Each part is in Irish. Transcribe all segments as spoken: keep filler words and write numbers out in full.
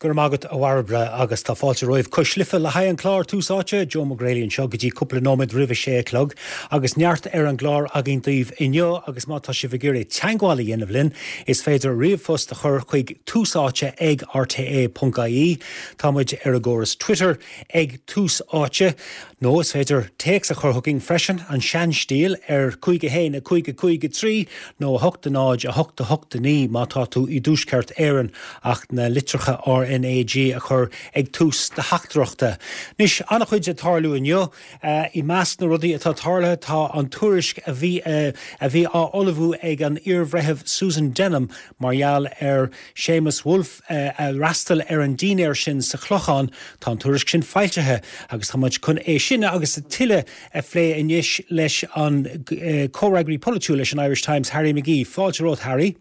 Go raibh maith agat, a Bhairbre, agus tá fáilte romhaibh Cois Life le haghaidh an clár Tús Áite, Joe Mac Greilí anseo go dtí cúpla nóiméad roimh a sé a chlog agus neart ar an gclár againn daoibh inniu agus má tá sibh ag iarraidh teagmháil a dhéanamh linn is féidir ríomhphost a chur chuig tús áite ag R T E ponc I E. Tá muid ar an gcóras Twitter ag Tús Áite nó is féidir téacs a chur chugainn freisin, an seanstíl, ar cúig a haon a cúig a cúig a trí nó a hocht a náid a hocht a hocht a naoi má tá tú i dTuaisceart Éireann ach na litreacha R N A G a chur ag tús do theachtaireachta. Anois, an-chuid ag tarlú inniu. I measc na rudaí atá tarlaithe tá an tuairisc a bhí a bhí á ullmhú ag an iarbhreitheamh Susan Denham mar gheall ar Séamus Woulfe a fhreastal ar an dinnéar sin sa Chlochán. Tá an tuairisc sin foilsithe agus tá muid chun é sin agus tuilleadh a phlé anois leis an comhfhreagraí polaitiúil leis an Irish Times, Harry McGee. Fáilte romhat, Harry.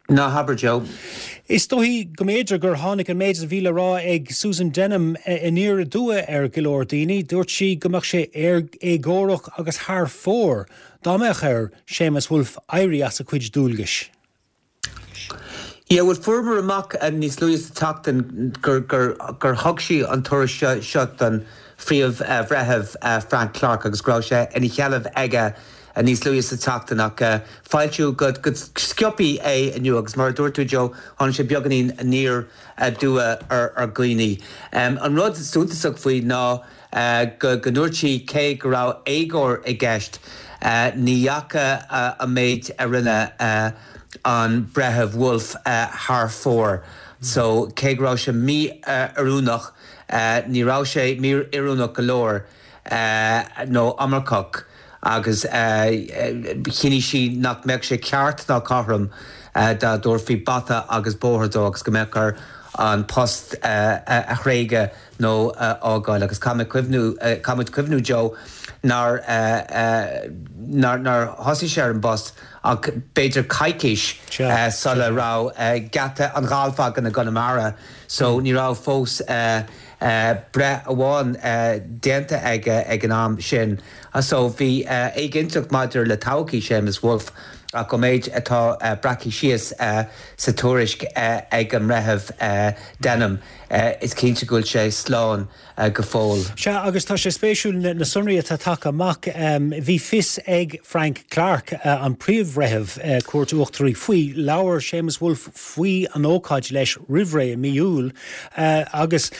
Ná habair, Joe. Is dóigh go mb'fhéidir gur tháinig an méid a bhí le rá ag Susan Denham aniar aduaidh ar go leor daoine. Dúirt sí go mbeadh sé éagórach agus thar fóir dá mbeadh ar Séamus Woulfe éirí as a chuid dualgais. Yeah, well, fuaireamar amach níos luaithe sa tseachtain gur gur gur thug sí an tuairisc seo don phríomh-bhreitheamh Frank Clarke agus go raibh sé ina sheilbh aige níos luaithe sa tseachtain ach foilsíodh go go sciobtha é inniu agus mar a dúirt tú, Joe, tháinig sé beagáinín aniar aduaidh ar ar dhaoine. Um, an rud suntasach faoi ná uh, go go ndúirt sí cé go raibh éagóir i gceist uh, ní dheachaigh uh, an méid a rinne uh, an breitheamh Woulfe uh, thar fóir. So cé go raibh sé mí-oiriúnach uh, ní raibh sé mí-oiriúnach go leor uh, nó iomarcach agus uh, chinn sí nach mbeadh sé ceart ná cothrom uh, dá dtabharfaí bata agus bóthar dó agus go mbeadh air an post uh, a thréigean nó uh, fhágáil agus caithfimid cuimhniú uh, caithfimid cuimhniú, Joe, nár uh, uh, nár nár thosaigh sé ar an bpost ach b'fhéidir coicís uh, sula raibh uh, geata an ghailf againn i gConamara, so mm. ní raibh fós uh, uh, breith amháin uh, déanta ag ag an am sin. So bhí uh, éiginnteacht maidir le todhchaí Séamus Woulfe ach go méid atá uh, breactha síos uh, sa tuairisc uh, ag an mbreitheamh uh, Denham uh, is cinnte go bhfuil sé slán uh, go fóill. Sea, agus tá sé spéisiúil na sonraí atá tagtha amach. um, bhí fios ag Frank Clarke, uh, an príomhbhreitheamh uh, Cúirt Uachtaraí, faoi. Labhair Séamus Woulfe faoi an ócáid leis roimh ré i mí Iúil uh, agus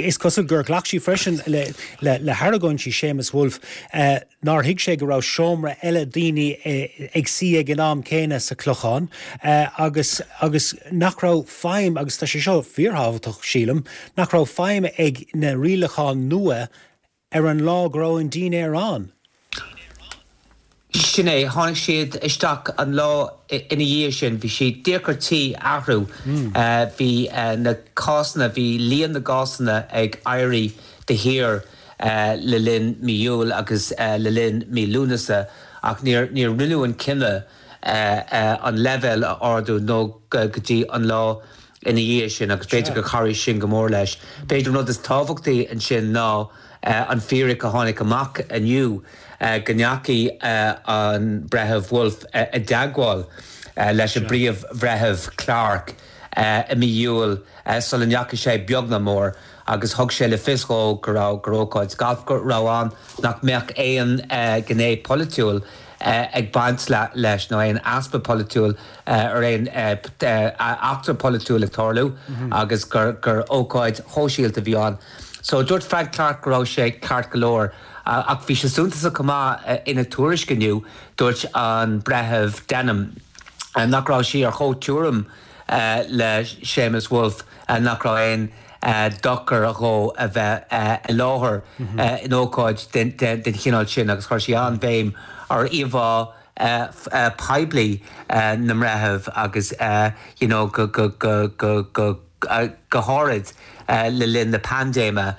is cosúil gur ghlac sí freisin le, le, le hargóintí Séamus Woulfe uh, nár thuig sé go raibh seomra eile daoine uh, ag suí ag an am céanna sa Chlochán uh, agus agus nach raibh feidhm, agus tá sé seo fíorthábhachtach, sílim, nach raibh feidhm ag na rialacháin nua ar an lá go raibh an dinnéar ann. Sin é, tháinig siad isteach an lá ina dhiaidh sin. Bhí sé deacair tí athrú. Bhí na cásanna, bhí líon na gcásanna ag éirí de shíor le linn mí Iúil agus le linn mí Lúnasa ach níor níor rinneadh an cinneadh an leibhéal a ardú nó go dtí an lá ina dhiaidh sin agus b'fhéidir gur chabhraigh sin go mór leis. B'fhéidir rud is tábhachtaí ansin ná an fíric a tháinig amach inniu go ndeachaigh an breitheamh Woulfe i dteagmháil leis an bpríomh-bhreitheamh Clarke i mí Iúil sula ndeachaigh sé beag ná mór agus thug sé le fios dó go raibh gur ócáid gailf go raibh ann, nach mbeadh aon ghné polaitiúil ag baint leis nó aon easpa polaitiúil ar aon eachtra polaitiúil ag tarlú agus gur gur ócáid shóisialta a bhí ann. So dúirt Frank Clarke go raibh sé ceart go leor ach bhí sé suntasach chomh maith ina tuairisc inniu, dúirt an breitheamh Denham nach raibh sí ar chomh-tuairim le Séamus Woulfe nach raibh aon dochar dhó a bheith i láthair in ócáid den chineál sin agus chuir sí an-bhéim ar íomhá poiblí na mbreitheamh agus you know go go go go go go háirid le linn na paindéime.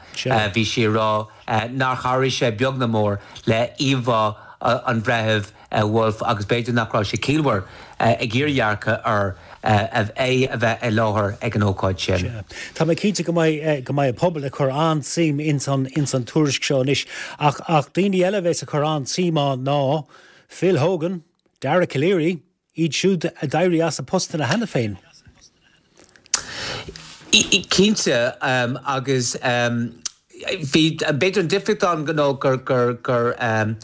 Bhí sí ag rá nár chabhraigh sé beag ná mór le íomhá an bhreithimh Woulfe agus b'fhéidir nach raibh sé ciallmhar ag iardhearcadh ar é a bheith i láthair ag an ócáid sin. Tá mé cinnte go mbeidh go mbeidh an pobal ag cur an-suim ins an ins an tuairisc seo anois ach ach daoine eile a bheas ag cur an-suim ann ná Phil Hogan, Dara Calleary, iad siúd a d'éirigh as a postanna cheana féin. Cinnte agus bhí b'fhéidir an difríocht ann nó gur gur gur um,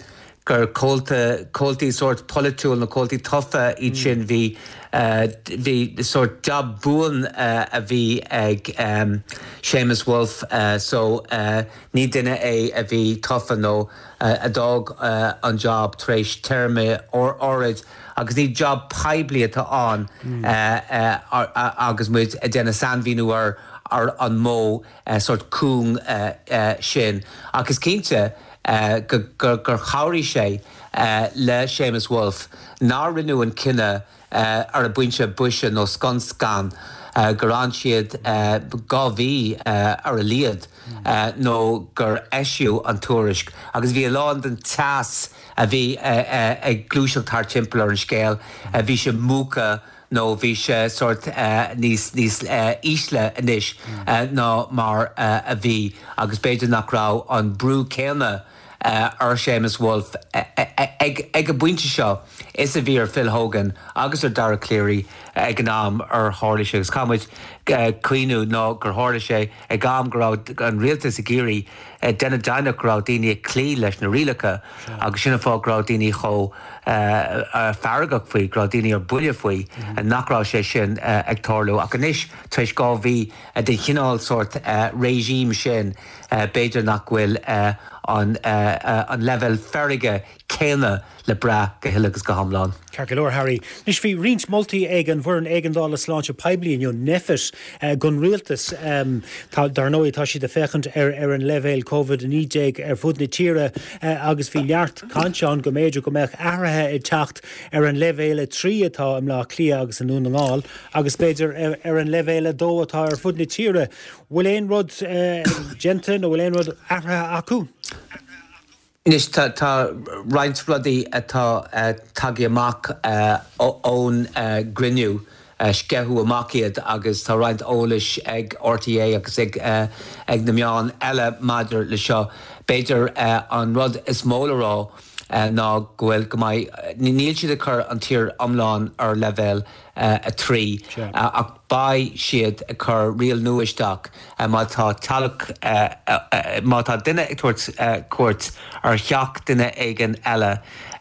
gur comhalta comhaltaí sórt polaitiúil na comhaltaí tofa iad sin bhí uh, bhí sórt job buan uh, a bhí ag um, Seamus Woulfe uh, so uh, ní duine é a bhí tofa nó uh, a d'fhág uh, an job tar éis téarma áirid agus ní job poiblí atá ann mm. uh, uh, agus muid ag déanamh sainmhíniú ar ar an modh uh, sórt cúng uh, uh, sin agus cinnte uh, gur, gur, gur chabhraigh sé uh, le Seamus Woulfe nár rinneadh an cinneadh uh, ar an bpointe boise nó scun scan uh, gur fhan siad uh, dhá mhí uh, ar a laghad uh, nó gur eisíodh an tuairisc agus bhí a lán den teas a bhí uh, uh, ag gluaiseacht thar timpeall ar an scéal uh, bhí sé múchta nó bhí sé sórt uh, níos níos uh, ísle anois uh, ná mar uh, a bhí agus b'fhéidir nach raibh an brú céanna uh, ar Seamus Woulfe ag ag an bpointe seo is a bhí ar Phil Hogan agus ar Dara Calleary ag an am ar tharla sé agus caithfimid cuimhneamh ná gur tharla sé ag am go raibh an rialtas ag iarraidh déanamh deimhneach go raibh daoine ag cloí leis na rialacha agus sin fáth go raibh daoine chomh feargach faoi go raibh daoine ar buile faoi nach raibh sé sin ag tarlú ach anois tar éis dhá mhí den chineál sórt regime sin b'fhéidir nach bhfuil an an level feirge céanna le brath go huile agus go hiomlán. Ceart go leor Harry. Anois bhí roinnt moltaí ag an bhfoireann éigeandála sláinte poiblí inniu NPHET don rialtas dar ndóigh tá siad ag féachaint ar ar an leibhéal COVID a naoi déag ar fud na tíre agus bhí neart cainte ann go mb'fhéidir go mbeadh athruithe ag teacht ar an leibhéal a trí atá i mBleá Cliath agus i nDún na nGall agus b'fhéidir ar, ar an leibhéal a dó atá ar fud na tíre. Bhfuil aon rud déanta nó bhfuil aon rud athraithe acu? Anois tá tá roinnt rudaí atá uh, tagtha amach uh, ón uh, gcruinniú uh, sceitheadh amach iad agus tá roinnt eolais ag RTÉ agus ag, uh, ag na meáin eile maidir le seo. B'fhéidir uh, an rud is mó le rá uh, ná go bhfuil go mbeidh níl siad ag cur an tír iomlán ar leibhéal uh, a trí uh, ach beidh siad ag cur riail nua isteach uh, má tá teaghlach uh, uh, uh, má tá duine ag tabhairt uh, cuairt ar theach duine éigin eile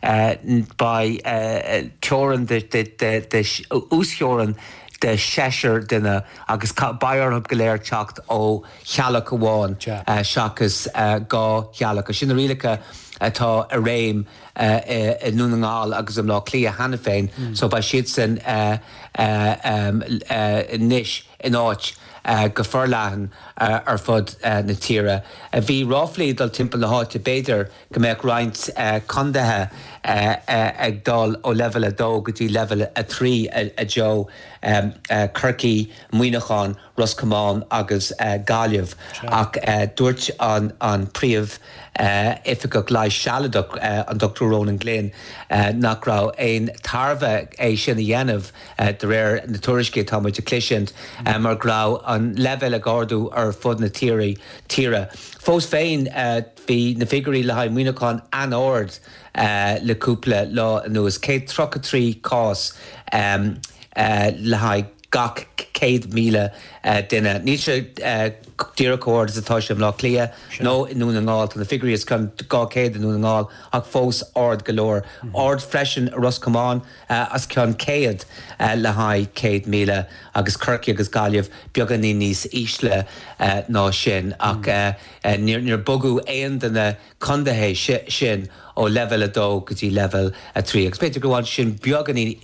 uh, beidh uh, teorainn de, de, de, de, uasteorainn de seisear duine agus beidh orthu go léir teacht ó theaghlach amháin uh, seachas uh, dhá theaghlach. Sin na rialacha atá i réim uh, i nDún na nGall agus i mBleá Cliath cheana féin, mm. so beidh siad sin uh, uh, um, uh, anois in áit uh, go forleathan uh, ar fud uh, na tíre. Uh, bhí ráflaí dul timpeall na háite b'fhéidir go mbeadh roinnt uh, contaetha uh, uh, ag dul ó level a dó go dtí level a trí a, a Joe um, uh, Corcaigh, Muineachán, Ros Comáin agus uh, Gaillimh ach uh, dúirt an, an príomh uh, oifigeach leighis sealadach uh, an Dr. Ronan Glynn uh, nach raibh aon tairbhe é sin a dhéanamh uh, de réir na tuairiscí atá muid a chloisint uh, mar go raibh an level ag ardú ar fud na tíre tíre. Fós féin uh, bhí na figiúirí le haghaidh Muineachán an-ard uh, le cúpla lá anuas céad tríocha trí cás um, uh, le haghaidh gach céad míle uh, duine. Níl sé uh, díreach chomh hard is atá sé i mBleá Cliath nó i nDún na nGall tá na figiúirí os cionn dhá chéad i nDún na nGall ach fós ard go leor. Mm -hmm. Ard freisin Ros Comáin uh, os cionn céad uh, le haghaidh céad míle agus Corcaigh agus Gaillimh beagáinín níos ísle uh, ná sin ach mm. uh, uh, níor níor bogadh aon de na contaetha sin ó level a dó go dtí level a trí. Agus b'fhéidir go bhfuil sin beagáinín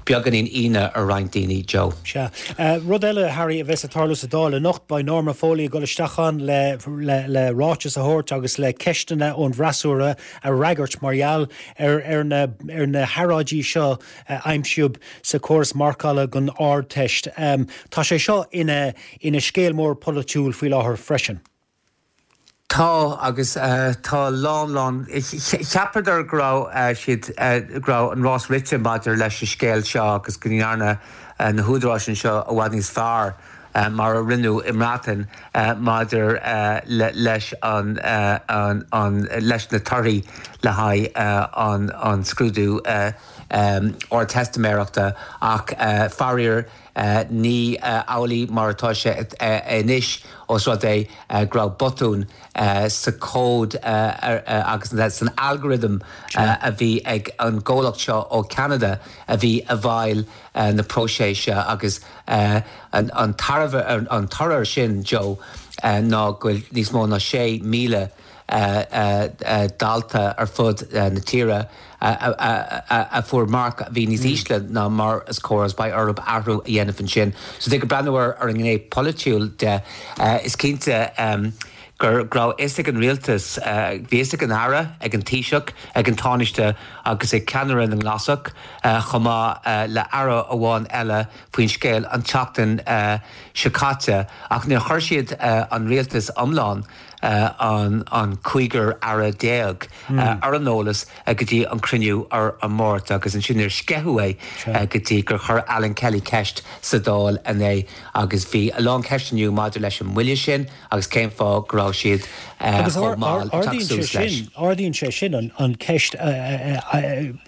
beagáinín ionadh ar roinnt daoine Joe. Sea. Uh, rud eile Harry a bheas ag tarlú sa Dáil anocht beidh Norma Foley ag dul isteach ann le, le, le ráiteas a thabhairt agus le ceisteanna ón bhfreasúra a fhreagairt mar gheall ar, ar, na, ar na hearráidí seo uh, aimsíodh sa córas marcála don Ardteist. Um, tá sé seo ina, ina scéal mór polaitiúil faoi láthair freisin. Tá agus uh, tá lán lán cheapadar go raibh uh, siad uh, go raibh an rás rite maidir leis an scéal seo agus go ndearna uh, na húdaráis seo i bhfad níos fearr uh, mar a rinneadh i mBreatain uh, maidir uh, le, leis an, uh, an, an leis na torthaí le haghaidh uh, an, an scrúdú uh, um, Ardteistiméireachta ach uh, faraor Ní amhlaidh mar atá sé anois os rud é go raibh botún sa chód agus san algorithm a bhí ag an gcomhlacht seo ó Canada a bhí i bhfeighil na próiseas agus an tairbhe an toradh sin Joe ná go bhfuil níos mó ná sé míle dalta ar fud na tíre a fuair marc a bhí níos ísle ná mar is cóir agus beidh orthu athrú a dhéanamh ansin. So ag breathnú ar ar an ngné polaitiúil de is cinnte gur raibh fhios ag an rialtas bhí fhios ag an Aire, ag an Taoiseach, ag an Tánaiste agus ag ceannaire na nGlasach chomh maith le aire amháin eile faoin scéal an tseachtain seo caite ach níor chuir siad an rialtas iomlán an an cúigear aire déag ar an eolas go dtí an cruinniú ar an Máirt agus ansin níor sceitheadh é go dtí gur chuir Alan Kelly ceist sa Dáil inné agus bhí a lán ceisteanna maidir leis an moille sin agus cén fáth go raibh siad chomh mall ag teacht suas leis. Ardaíonn sé sin an ceist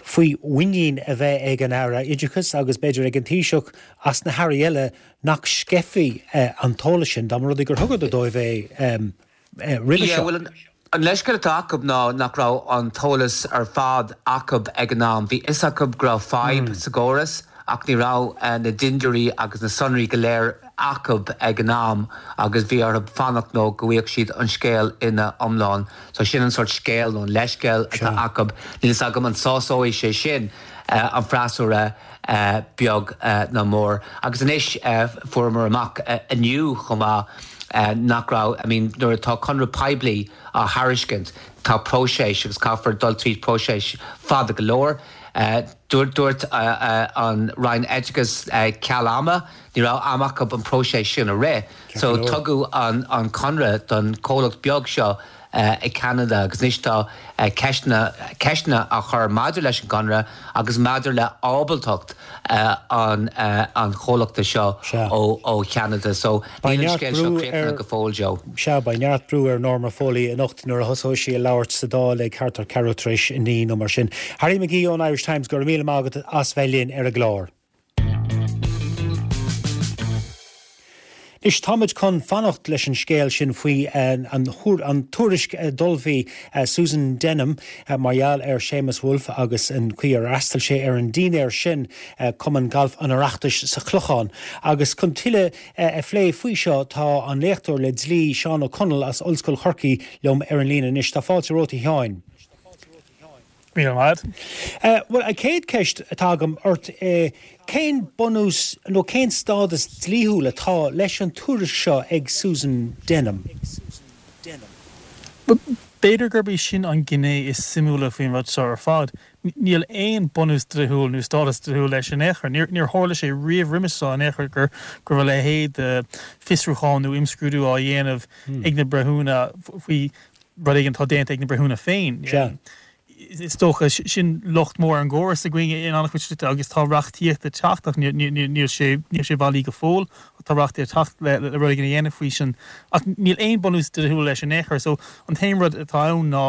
faoi mhuinín a bheith ag an Aire Oideachais agus b'fhéidir ag an Taoiseach as na hairí eile nach sceithfí an t-eolas sin dá mba rud é gur thugadar dóibh é roimhe seo. Bhuel, an leithscéal atá acu ná nach raibh an t-eolas ar fad acu ag an am. Bhí fhios acu go raibh fadhb sa gcóras ach ní raibh na dintiúirí agus na sonraí go léir acu ag an am agus bhí orthu fanacht nó go bhfaigheadh siad an scéal ina iomlán. So sin an sort scéal nó an leithscéal atá acu. Níl fhios agam an sásóidh sé sin an freasúra beag ná mór. Agus anois fuaireamar amach inniu chomh maith nach raibh, I mean, nuair atá conradh poiblí á thairiscint, tá próiseas agus caithfear dul tríd próiseas fada go leor. Dúirt dúirt an Roinn Oideachais ceal ama, ní raibh am acu an próiseas sin a rith. So tugadh an an conradh don chomhlacht beag seo i Canada agus anois tá ceisteanna ceisteanna á chur maidir leis an gconradh agus maidir le ábaltacht an an chomhlachta seo ó ó Cheanada. So níl an scéal seo críochnaithe go fóill Joe. Sea, beidh neart brú ar Norma Foley anocht nuair a thosóidh sí ag labhairt sa Dáil ag thart ar ceathrú tar éis a naoi nó mar sin. Harry McGee ón Irish Times, go raibh míle maith agat as bheith linn ar an gclár. Anois táimid chun fanacht leis an scéal sin faoi an an tuairisc a d'ullmhaigh Susan Denham mar gheall ar Séamus Woulfe agus an chaoi ar fhreastail sé ar an dinnéar sin Cumann Gailf an Oireachtais sa Chlochán. Agus chun tuilleadh a phlé faoi seo tá an léachtóir le dlí Seán Ó Conaill as Ollscoil Chorcaí liom ar an líne anois. Tá fáilte romhat a Sheáin. Míle maith. Bhuel, an chéad cheist atá agam ort, cén bunús nó cén stádas dlíthiúil atá leis an tuairisc seo ag Susan Denham? B'fhéidir gurb í sin an ghné is suimiúla faoin rud seo ar fad. Níl aon bunús dlíthiúil nó stádas dlíthiúil leis in aon chor. Níor tharla sé riamh roimhe seo in aon chor gur go raibh a leithéid de fiosrúchán nó imscrúdú á dhéanamh ag na breithiúna faoi rud éigin atá déanta ag na breithiúna féin. Is dócha sin locht mór ar an gcóras againn in an-chuid slite agus tá reachtaíocht ag teacht ach níl sé níl sé bailí go fóill ach tá reachtaíocht ag teacht le le rud éigin a dhéanamh faoi sin ach níl aon bunús dlíthiúil leis in aon chor so an t-aon rud atá ann ná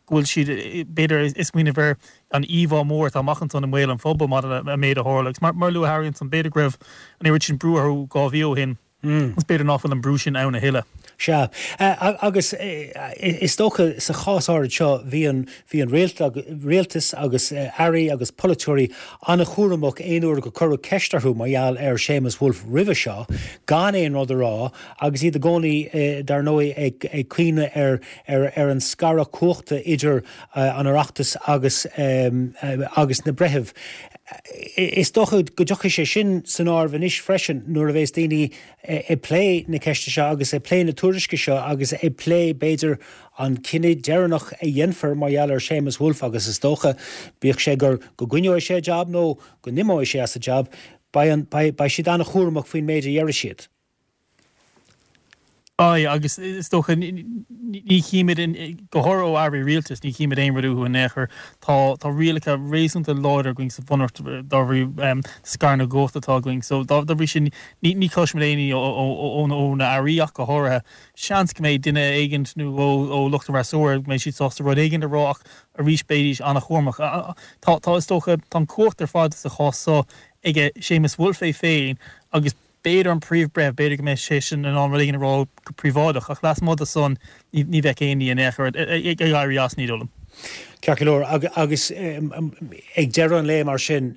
go bhfuil siad b'fhéidir ag smaoineamh ar an íomhá mór atá amach ansan i mbéal an phobail maidir le an méid a tharla agus mar mar a luaigh Harry ansan b'fhéidir go raibh an oiread sin brú orthu dhá mhí ó shin Is b'fhéidir nach bhfuil an brú sin ann a thuilleadh. Sea. Agus is dócha sa chás áirid seo bhí an bhí an rialtas agus airí agus polaiteoirí an-chúramach aon uair go cuireadh ceist orthu mar gheall ar Séamus Woulfe roimhe seo gan aon rud a rá agus iad i gcónaí dar ndóigh ag ag cuimhneamh ar ar ar an scaradh cumhachta idir an Oireachtas agus agus na breithimh. Is dócha go dtiocfaidh sé sin san áireamh anois freisin nuair a bheas daoine ag plé na ceiste seo agus ag plé na tuairisce seo agus ag plé b'fhéidir an cinneadh deireanach a dhéanfar mar gheall ar Séamus Woulfe agus is dócha, bíodh sé gur go gcoinneoidh sé a jab nó go n-imeoidh sé as a jab, beidh beidh siad an-chúramach faoin méid a déarfaidh siad. Aye, agus is dócha, ní chímid, go háirithe ó airí rialtais, ní chímid aon rud uathu in aon chor. Tá tá rialacha réasúnta láidir againn sa Bhunreacht dá bhrí scaradh na gcumhacht atá againn. So dá bhrí sin ní ní chloisimid aon ní ó ó na airí ach go háirithe. Seans go mbeidh duine éigint nó ó ó lucht an fhreasúra go mbeidh siad sásta rud éigin a rá ach arís beidís an-chúramach. Tá tá is dócha, tá an cumhacht ar fad sa chás seo ag Séamus Woulfe é féin agus b'fhéidir an príomh-bhreitheamh, b'fhéidir go mbeidh sé sin in ann rud éigin a rá go príobháideach, ach lasmuigh de san ní bheadh aon ní in aon chor ag éirí as, ní dóigh liom. Ceart go leor, agus ag deireadh an lae mar sin,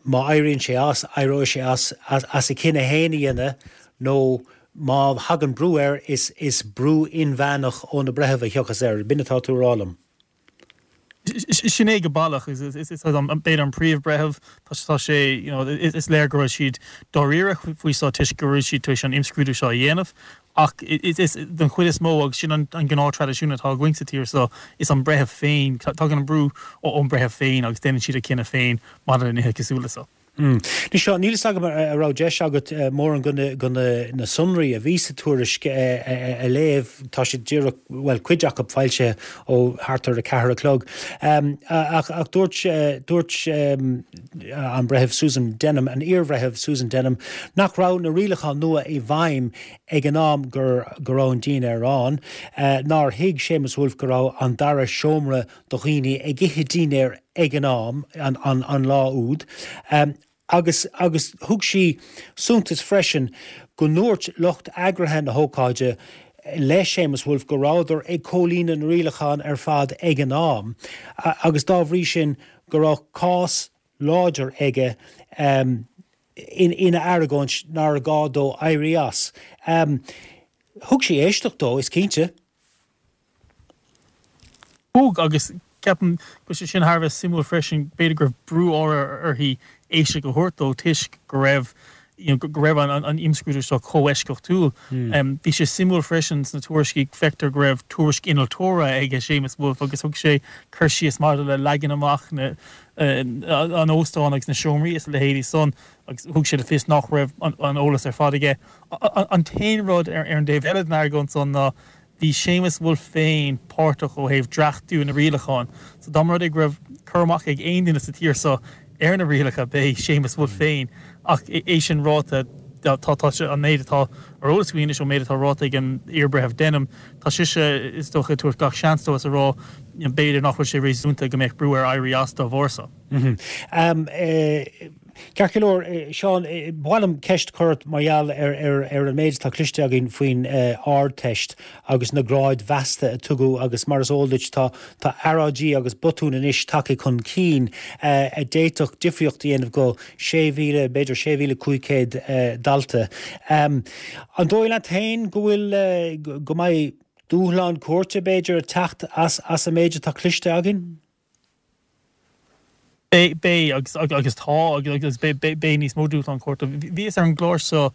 má éiríonn sé as, éireoidh sé as as a chinneadh féin a dhéanamh nó má thagann brú air, is is brú inmheánach ó na breithimh a thiocfas air. B'in atá tú a rá liom. Sin é go baileach. Is b'fhéidir an príomh-bhreitheamh, tá sé, you know, is léir go raibh siad dáiríre faoi seo toisc go raibh siad tar éis an imscrúdú seo a dhéanamh. Ach is den chuid is mó, agus sin an gnáth-traidisiún atá againn sa tír seo, is an breitheamh féin, tagann an brú ón mbreitheamh féin agus déanann siad a chinneadh féin maidir le nithe cosúil le seo. Anois seo, níl fhios agam an raibh deis agat mórán de na sonraí a bhí sa tuairisc a léamh, tá siad díreach, bhuel, cuid acu foilsithe ó thart ar a ceathair a chlog. Ach dúirt, dúirt an Breitheamh Susan Denham, an iar-Bhreitheamh Susan Denham, nach raibh na rialacháin nua i bhfeidhm ag an am go raibh an dinnéar ann, nár thuig Séamus Woulfe go raibh an dara seomra do dhaoine ag ithe dinnéir ag an am, an lá úd, agus agus thug sí suntas freisin go ndúirt lucht eagraithe na hócáide le Séamus Woulfe go rabhadar ag comhlíonadh na rialachán ar fad ag an am agus dá bhrí sin go raibh cás láidir aige ina argóint nár ghá dó éirí as. Thug sí éisteacht dó, is cinnte. Thug, agus ceapaim go bhfuil sé sin thar a bheith suimiúil freisin, b'fhéidir go raibh brú uirthi éisteacht a thabhairt dó toisc go raibh you know go raibh an an imscrúdú seo chomh eisceachtúil. Bhí sé suimiúil freisin sna tuairiscí, feictear go raibh tuairisc innealtóra aige Séamus Woulfe agus thug sé cur síos maidir le leagan amach na an óstáin agus na seomraí is a leithéidí san agus thug sé le fios nach raibh an eolas ar fad aige. An t-aon rud ar an dtaobh eile den argóint san ná bhí Séamus Woulfe féin páirteach ó thaobh dreachtú na rialachán so dá mba rud é go raibh cur amach ag aon duine sa tír seo ar na rialacha b'é Séamus Woulfe féin ach é sin ráite tá tá sé an méid atá ar eolas againn anois ón méid atá ráite ag an iar-bhreitheamh Denham tá sise is dócha ag tabhairt gach seans dó is a rá b'fhéidir nach bhfuil sé réasúnta go mbeadh brú air éirí as dá bharr seo. Ceart go leor, Seán, ba mhaith liom ceist a chur ort mar gheall ar ar an méid atá cloiste againn faoin Ardteist agus na gráid mheasta a tugadh agus mar is eol duit tá tá earráidí agus botúin anois tagtha chun cinn a d'fhéadfadh difríocht a dhéanamh go sé mhíle, b'fhéidir sé mhíle cúig chéad dalta. An dóigh leat féin go bhfuil, go mbeidh dúshlán cúirte b'fhéidir ag teacht as as an méid atá cloiste againn? Beidh, beidh agus agus tá agus beidh beidh níos mó dúshlán cúirte. Bhíos ar an gclár seo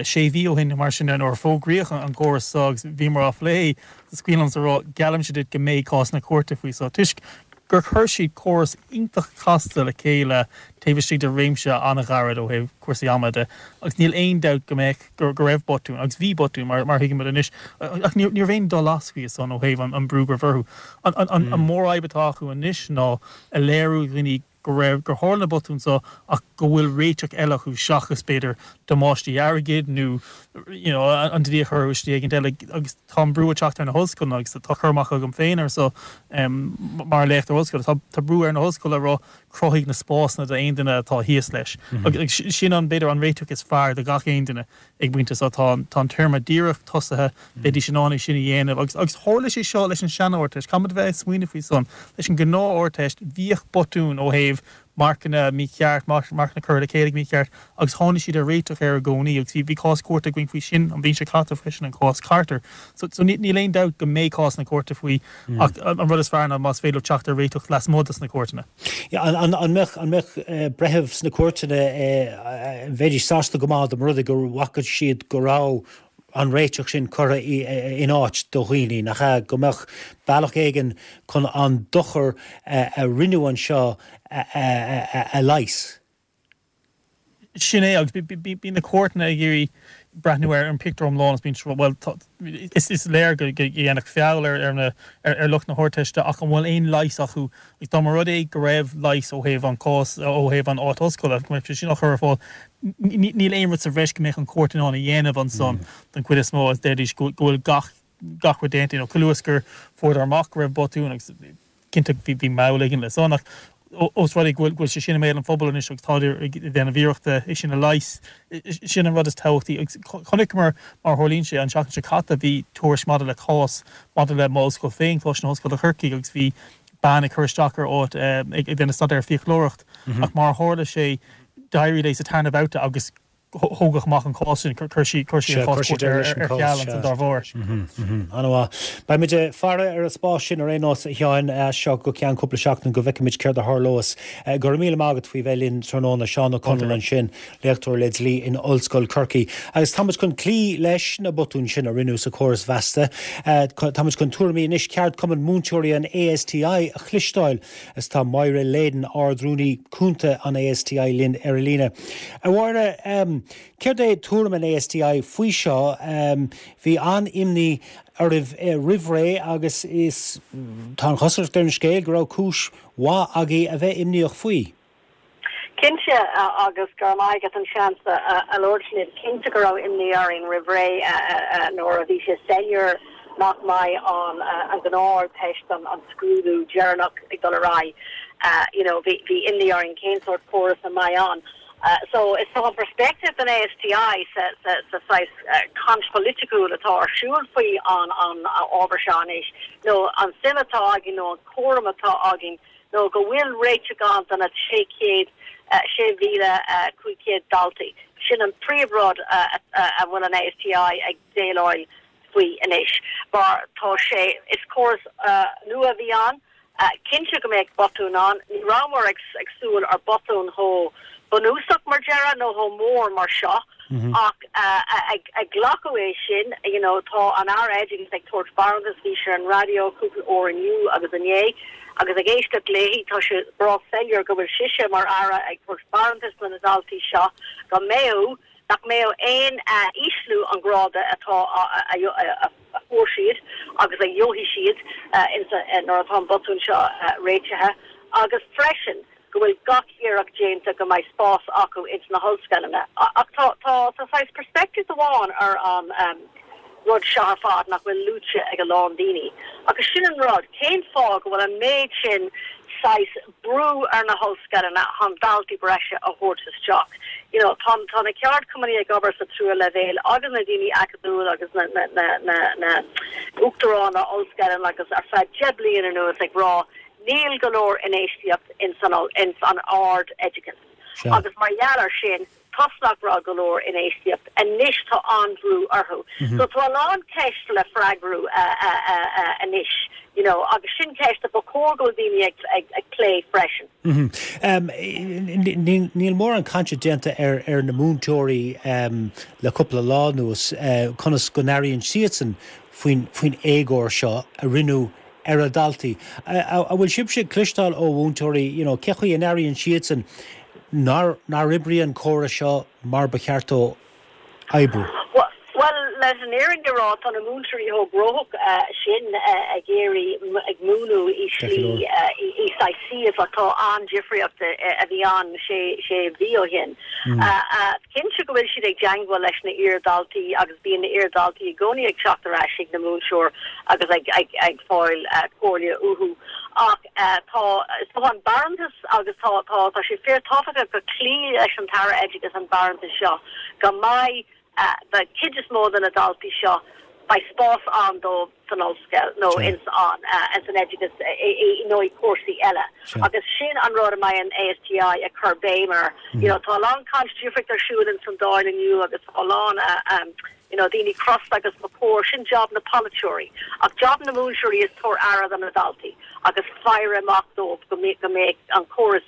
sé mhí ó shin nó mar sin nuair a fógraíodh an córas seo agus bhíomar á phlé. Is cuimhin liomsa a rá, geallaimse duit go mbeidh cásanna cúirte faoi seo toisc gur chuir siad córas iontach casta le chéile taobh istigh de réimse an-ghairid ó thaobh cúrsaí ama de agus níl aon dabht go mbeadh, go raibh botúin, agus bhí botúin mar a thuigimid anois, ach ní raibh aon dul as faoi san ó thaobh an brú go raibh orthu. An mhórfhadhb atá acu anois ná a léiriú do dhaoine go raibh, gur tharla na botúin seo ach go bhfuil réiteach eile acu seachas b'fhéidir damáistí airgid nó you know an dlí a chur orthu i slí éigin eile agus tá an brú ag teacht ar na hollscoileanna agus tá cur amach agam féin air seo mar léachtóir ollscoile, tá tá brú ar na hollscoileanna a rá cruthaigh na spásanna d'aon duine atá thíos leis agus sin an b'fhéidir an réiteach is fearr do gach aon duine ag an bpointe seo. Tá tá an téarma díreach tosaithe, bheidís in ann é sin a dhéanamh agus agus tharla sé seo leis an sean-Ardteist, caithfimid a bheith ag smaoineamh faoi san, leis an gnáth-Ardteist bhíodh botúin ó thaobh marcanna mícheart, marcanna curtha le chéile go mícheart agus tháinig siad ar réiteach air i gcónaí agus bhí bhí cás cúirte againn faoi sin an bhliain seo caite freisin, an cás Carter. So so níl aon dabht go mbeidh cásanna cúirte faoi ach an rud is fearr ná más féidir leo teacht ar réiteach lasmuigh dos na cúirteanna. An an mbeadh an mbeadh breithimh sna cúirteanna bheidís sásta go maith dá mba rud é go bhfaca siad go raibh an réiteach sin curtha in áit do dhaoine, nach ea? Go mbeadh bealach éigin chun an dochar a rinneadh anseo a leigheas. Sin é, agus bíonn na cúirteanna ag iarraidh breathnú ar an pictiúr iomlán agus bíonn siad, bhuel, is léir go ndéanadh feall ar na, ar lucht na hArdteiste ach an bhfuil aon leigheas acu? Agus dá mba rud é go raibh leigheas ó thaobh an cás, ó thaobh an áit ollscoile, go mbeadh sé sin á chur ar fáil, níl aon rud sa bhreis go mbeadh an chúirt in ann a dhéanamh ansan don chuid is mó agus déarfaidís go bhfuil gach gach rud déanta, you know, chomh luath is gur fuaireadar amach go raibh botún agus cinnte bhí bhí moll éigin le san ach Ós rud é go bhfuil sé sin i mbéal an phobail anois agus táid ag déanamh iarrachta é sin a leigheas, sin an rud is tábhachtaí. Agus chonaiceamar mar a tharlaíonn sé an tseachtain seo caite, bhí tuairisc maidir le cás maidir le m'ollscoil féin, Coláiste na hOllscoile Corcaigh, agus bhí bean ag cur isteach ar áit ag déanamh staidéar fiaclóireacht ach mar a tharla sé d'éirigh léi sa tarna babhta agus thógadh amach an cás sin, chuir sí an cás cúirte ar ceal ansan dá bharr. An-mhaith. Beimid ag faire ar an spás sin ar aon nós, a Sheáin, as seo go ceann cúpla seachtain go bhfeicfimid céard a tharlós. Go raibh míle maith agat faoi bheith linn tráthnóna, Seán Ó Conaill ansin, léachtóir le dlí in Ollscoil Chorcaí. Agus táimid chun cloí leis na botúin sin a rinneadh sa chóras mheasta. Táimid chun tuairimí anois ceardchumann múinteoirí an ASTI a chloisteáil. Is tá Máire Leyden, Ard-Rúnaí Cúnta an ASTI linn ar an líne. A Mháire, céard é tuairim an ASTI faoi seo? Bhí an-imní oraibh roimh ré agus is tá an chosúlacht ar an scéal go raibh cúis mhaith agaibh a bheith imníoch faoi. Cinnte, agus go raibh maith agat an seans a labhairt libh. Cinnte go raibh imní orainn roimh ré nuair a bhí sé soiléir nach mbeidh an an gnáth-Ardteist, an scrúdú deireanach ag dul ar aghaidh. You know, bhí bhí imní orainn cén sórt córas a mbeidh ann. So is tá an perspective den ASTI sa sa sa saghas caint pholaitiúil atá ar siúl faoi an an ábhar seo anois, nó an suim atá againn nó an cúram atá againn nó go bhfuil réiteach ann do na sé chéad, sé mhíle cúig chéad daltaí. Sin an príomhrud a bhfuil an ASTI ag déileáil faoi anois mar tá sé, is córas nua a bhí ann. Cinnte go mbeadh botúin ann. Ní rabhamar ag súil ar botún chomh bunúsach mar deireadh nó chomh mór mar seo ach ag glacadh é sin, you know, tá an Aire Oideachais ag tabhairt barántas, bhí sé ar an raidió cúpla uair inniu agus inné agus ag éisteacht léi tá sé breá soiléir go bhfuil sise mar Aire ag tabhairt barántas do na daltaí seo go mbeadh, nach mbeadh aon ísliú an gráda atá a fuair siad agus a gheobhaidh siad nuair atá an botún seo réitithe agus freisin go bhfuil gach iarracht déanta go mbeidh spás acu ins na hollscoileanna. Ach tá tá tá saghas perspective amháin ar an rud seo ar fad nach bhfuil luaite ag a lán daoine. Agus sin an rud, cén fáth go bhfuil an méid sin saghas brú ar na hollscoileanna chun daltaí breise a thabhairt isteach? You know, tá tá na ceardchumannaí ag obair sa tríú leibhéal agus na daoine acadúil agus na na na na na uachtaráin ollscoileanna agus ar feadh deich bliain anuas ag rá níl go leor infheistíocht in san in san ard-oideachas. Agus mar gheall ar sin, toisc nach raibh go leor infheistíocht, anois tá an-bhrú orthu. So tá a lán ceist le freagrú anois, you know, agus sin ceist a ba chóir go bhfuil daoine ag ag ag plé freisin. Níl mórán cainte déanta ar ar na múinteoirí le cúpla lá anuas, conas go n-airíonn siadsan faoin faoin éagóir seo a rinneadh ar a ndaltaí. An bhfuil sibhse ag cloisteáil ó mhúinteoirí, you know, cé chaoi a n-airíonn siadsan nár nár oibrigh an córas seo mar ba cheart dó oibriú? Bhuel, leis an fhírinne a rá, tá na múinteoirí chomh gnóthach sin ag iarraidh ag múineadh i slí i saghas suíomh atá an-difríocht a bhí ann sé sé mhí ó shin. Cinnte go bhfuil siad ag teagmháil leis na iar-dhaltaí agus bíonn na iar-dhaltaí i gcónaí ag teacht ar ais chuig na múinteoir agus ag ag ag fáil comhairle uathu. Ach tá tá an barántas agus tá tá tá sé fíorthábhachtach go cloí leis an tAire Oideachais an barántas seo go mbeidh den chuid is mó de na daltaí seo beidh spás ann dóibh san ollscoil nó ins an ins an oideachas nó i cúrsaí eile. Agus sin an rud a mbeidh an ASTI ag cur béim air. You know, tá a lán caint difríocht ar siúl ins an Dáil inniu agus tá a lán you know, daoine crosta agus ba chóir, sin job na polaiteoirí. Ach job na múinteoirí is tabhairt aire do na daltaí agus faire amach dóibh go mbeidh go mbeidh an córas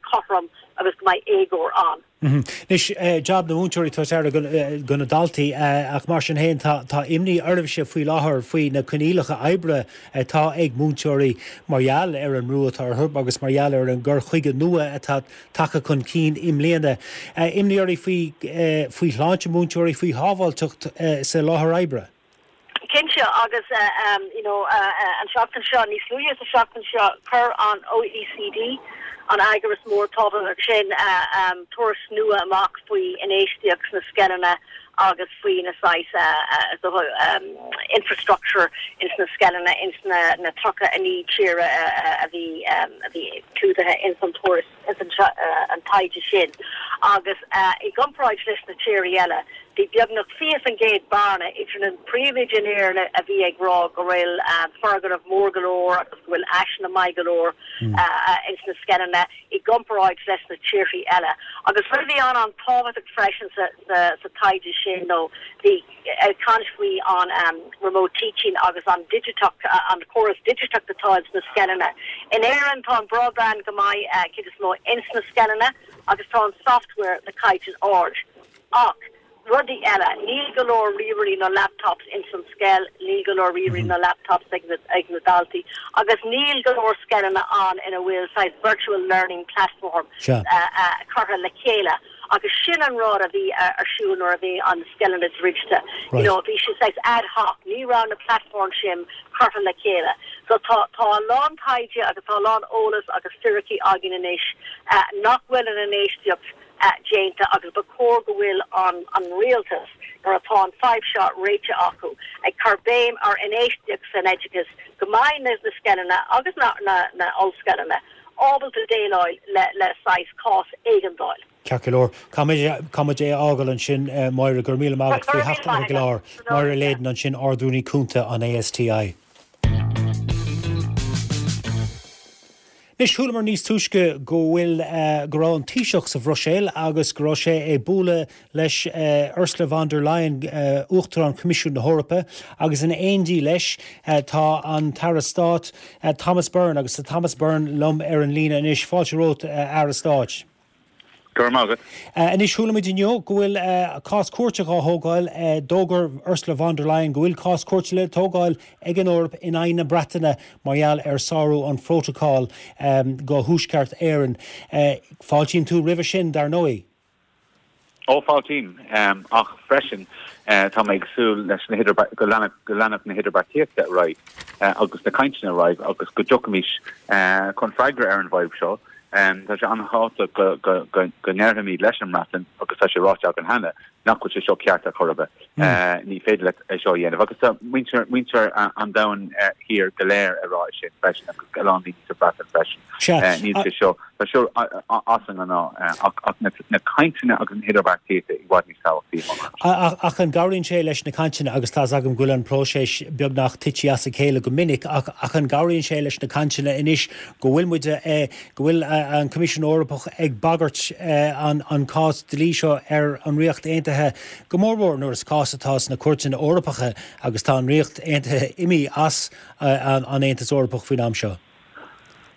cothrom agus go mbeidh éagóir ann. Anois, job na múinteoirí tabhairt aire do na daltaí ach mar sin féin tá tá imní oraibhse faoi láthair faoi na coinníollacha oibre atá ag múinteoirí mar gheall ar an mbrú atá orthu agus mar gheall ar an gcur chuige nua atá tagtha chun cinn i mbliana. Imní oraibh faoi faoi shláinte múinteoirí, faoi shábháilteacht sa láthair oibre. Cinnte, agus you know an seachtain seo, níos luaithe sa seachtain seo, chuir an OECD, an eagras mór tábhachtach sin, tuairisc nua amach faoi infheistíocht sna scoileanna agus faoi na saghas infrastructure ins na scoileanna ins na na tríocha a naoi tír a bhí a bhí clúdaithe ins an tuairisc ins an an taighde sin. Agus i gcomparáid leis na tíortha eile, bhí beagnach fiche faoin gcéad bearna idir na príomhoidí in Éirinn a bhí ag rá go bhfuil foirgnimh mór go leor agus go bhfuil áiseanna maith go leor ins na scoileanna i gcomparáid leis na tíortha eile. Agus rud a bhí an an-tábhachtach freisin sa sa sa taighde sin nó bhí ag caint faoi an um, remote teaching agus an digiteach an córas digiteach atá ins na scoileanna. In Éirinn tá an broadband go maith uh, cuid is mó ins na scoileanna agus tá an software le caighdeán ard. Ach rudaí eile, níl go leor ríomhairí nó laptops ins an scoil, níl go leor ríomhairí nó laptops ag na, ag na daltaí, agus níl go leor scoileanna ann ina bhfuil saghas virtual learning platform Sure. uh, uh, curtha le chéile. Agus sin an rud a bhí uh, ar siúl nuair a bhí an scoileanna druidte. Right. You know, bhí sé saghas ad hoc, ní raibh na platform sin curtha le chéile. So tá tá a lán taighde agus tá a lán eolas agus fíricí againn anois uh, nach bhfuil an infheistíocht uh, déanta agus ba chóir go bhfuil an an rialtas nuair atá an fadhb seo réitithe acu ag cur béim ar infheistíocht san oideachas go mbeidh na na scoileanna agus na na na ollscoileanna ábalta déileáil le le saghas cás éigeandáil. Ceart go leor Caithfimid é a fhágáil ansin eh, Máire go raibh míle maith agat faoi theacht ar an gclár Máire Leyden ansin Ard-Rúnaí Cúnta an ASTI. Anois chualamar níos túisce go bhfuil uh, go raibh an Taoiseach sa Bhruiséil agus go raibh sé ag bualadh leis uh, Ursula von der Leyen uh, Uachtarán Coimisiún na hEorpa agus in éindí leis uh, tá an tAire Stáit uh, Thomas Byrne agus tá Thomas Byrne liom ar an líne anois fáilte romhat uh, Aire Stáit. Go raibh maith agat. Uh, Anois chuala muid inniu go bhfuil uh, cás cúirte á thógáil uh, d'fhógair Ursula von der Leyen go bhfuil cás cúirte le tógáil ag an Eoraip in aghaidh na Breataine mar gheall ar sárú an phrótacal um, go Thuaisceart Éireann. Uh, Fáiltíonn tú roimhe sin dar ndóigh. Ó fáiltím um, ach freisin uh, tá mé ag súil leis na go leanfadh na hidirbheartaíochta ar aghaidh uh, agus na cainteanna ar aghaidh agus go dtiocfaimis uh, chun freagra ar an bhfadhb seo. Um, tá sé an-tábhachtach go, go, go, go ndéarfaimid leis an mBreatain agus tá sé ráite againn cheana nach bhfuil sé seo ceart ar chor ar bith. Mm. Uh, ní féidir leat é seo a dhéanamh. Agus tá muintir muintir an domhain uh, thiar go léir ag rá sin freisin agus go lán daoine sa Bhreatain freisin. Uh, níl sé seo tá seo as an ná ach na, na cainteanna agus na hidirbheartaíochta i bhfad níos tábhachtaí. Ach an gcabhraíonn sé leis na cainteanna agus tá agam go bhfuil an próiseas beagnach tite as a chéile go minic ach ach an gcabhraíonn sé leis na cainteanna anois go bhfuil muid eh, go bhfuil eh, an Coimisiún Eorpach ag bagairt eh, an, an cás dlí seo ar an Ríocht Aontaithe go mórmhór nuair is cás atá sna cúirteanna Eorpacha agus tá an Ríocht Aontaithe imithe as eh, an, an Aontas Eorpach faoin am seo.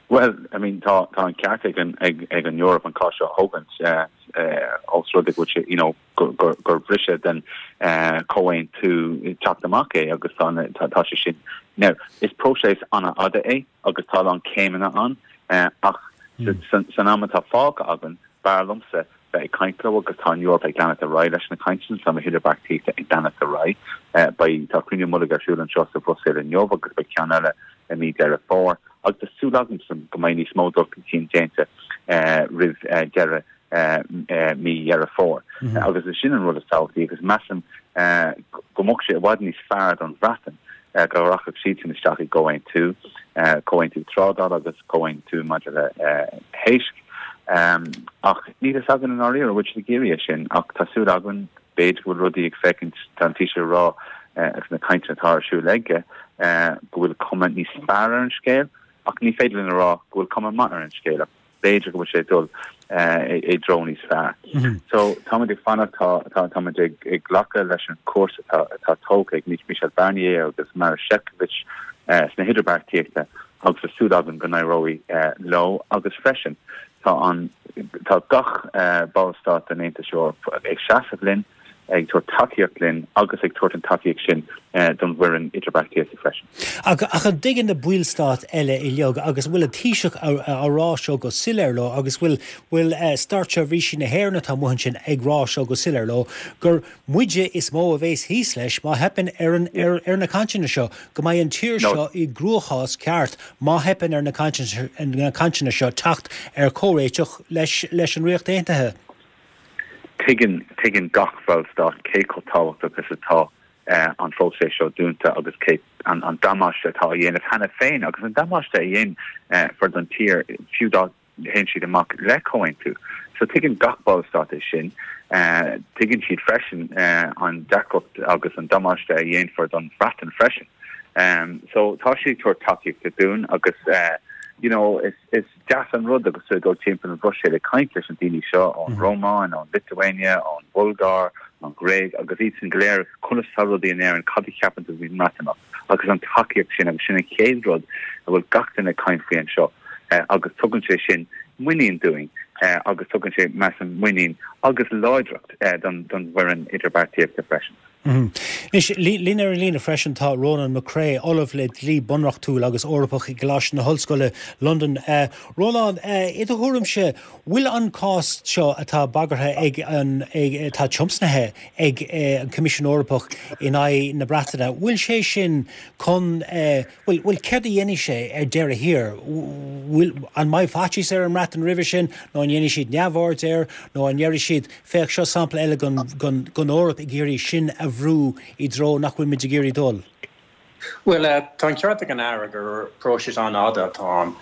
Well, I mean tá tá an ceart ag an ag ag an Eoraip an cás seo a thógaint uh, uh, os rud é you know gur gur gur briseadh den uh, comhaontú teacht amach é agus tá tá tá sé sin. Now, is próiseas an-fhada é agus tá an céimeanna ann uh, ach mm. san, san am atá fágtha againn b'fhearr liomsa bheith ag caint leo agus tá an Eoraip ag leanacht ar aghaidh leis na cainteanna tá na hidirbheartaíochta ag leanacht ar aghaidh uh, beidh tá cruinniú mullaigh ar siúl anseo sa Bhruiséil inniu agus beidh ceann eile i mí Deireadh Fómhair agus tá súil agam go mbeidh níos mó dul chun cinn déanta uh, roimh uh, deireadh uh, uh, mí Dheireadh Fómhair. Mm -hmm. agus is sin an rud is tábhachtaí agus measaim uh, go mbeadh sé i bhfad níos fearr don Bhreatain uh, go rachadh siad isteach i gcomhaontú uh, comhaontú trádála agus comhaontú maidir le uh, héisc. Um, ach níl a fhios againn an áirithe bhfuil siad ag iarraidh sin ach tá súil againn b'fhéidir go bhfuil rudaí ag féachaint tá an Taoiseach ag rá uh, agus na cainteanna atá ar siúl aige uh, go bhfuil cuma níos fearr ar an scéal ach ní féidir linn a rá go bhfuil cuma maith ar an scéal ach b'fhéidir go bhfuil sé dul uh, i dtreo níos fearr. Mm -hmm. So táimid ag fanacht tá tá táimid ag ag glacadh leis an cúrsa atá atá tógtha ag Michel Barnier agus Maroš Šefčovič uh, sna hidirbheartaíochta agus tá súil againn go n-éireoidh uh, leo agus freisin tá an tá gach uh, ballstát den Aontas Eorpach ag seasamh linn ag tabhairt tacaíocht linn agus ag tabhairt an tacaíocht sin uh, don bhfoireann idirbheartaíochta freisin. Ach ach an dtuigeann na ballstáit eile uilig agus bhfuil an Taoiseach á rá seo go soiléir leo agus bhfuil bhfuil uh, státseirbhísigh na hÉireann atá amuigh ansin ag rá seo go soiléir leo gur muide is mó a bheas thíos leis má theipeann ar an ar, ar na cainteanna seo go mbeidh an tír No. seo i gcruachás ceart má theipeann ar na cainteanna na cainteanna seo teacht ar comhréiteach leis leis an Ríocht Aontaithe. Tuigeann tuigeann gach ballstát cé chomh tábhachtach is atá uh, an phróiseas seo dúnta agus cé an, an damáiste atá á dhéanamh cheana féin agus an damáiste a dhéanfar don tír fiú dá théann siad amach le comhaontú. So tuigeann gach ballstát é sin, uh, tuigeann siad freisin uh, an deacracht agus an damáiste a dhéanfar don Bhreatain freisin. Um, so tá siad ag tabhairt tacaíochta dúinn agus uh, you know, is, is deas an rud agus tú dul timpeall an Bhruiséil ag caint leis an daoine seo ón mm -hmm. Rómáin, ón Lituania, ón Bulgáir, an Ghréig agus iad sin go léir conas tá rudaí in Éirinn cad a cheapann tú faoin mBreatimeacht agus an tacaíocht sin agus sin an chéad rud a bhfuil gach duine ag caint faoi anseo uh, agus tugann sé sin muinín dúinn uh, agus tugann sé measaim muinín agus láidreacht uh, don don bhfoireann idirbheartaíochta freisin. Mm -hmm. Linn ar an líne freisin tá Ronan McCrea, Ollamh le dlí bunreachtúil agus Eorpach i gColáiste na hOllscoile London. Uh, Ronan, uh, i do thuairimse bhfuil an cás seo atá bagartha ag an atá tiomsnaithe ag uh, an Coimisiún Eorpach in aghaidh na Breataine, bhfuil sé sin chun uh, bhfuil bhfuil céard a dhéanfaidh sé ar deireadh thiar an mbeidh faitíos ar an mBreatain roimhe sin nó an ndéanfaidh siad neamhaird air nó an ndéarfaidh siad féach seo sampla eile den Eoraip ag iarraidh sinn a bhrú i dtreo nach bhfuil muid ag iarraidh dul. Well uh, tá ceart ag an Aire gur próiseas an-fhada atá ann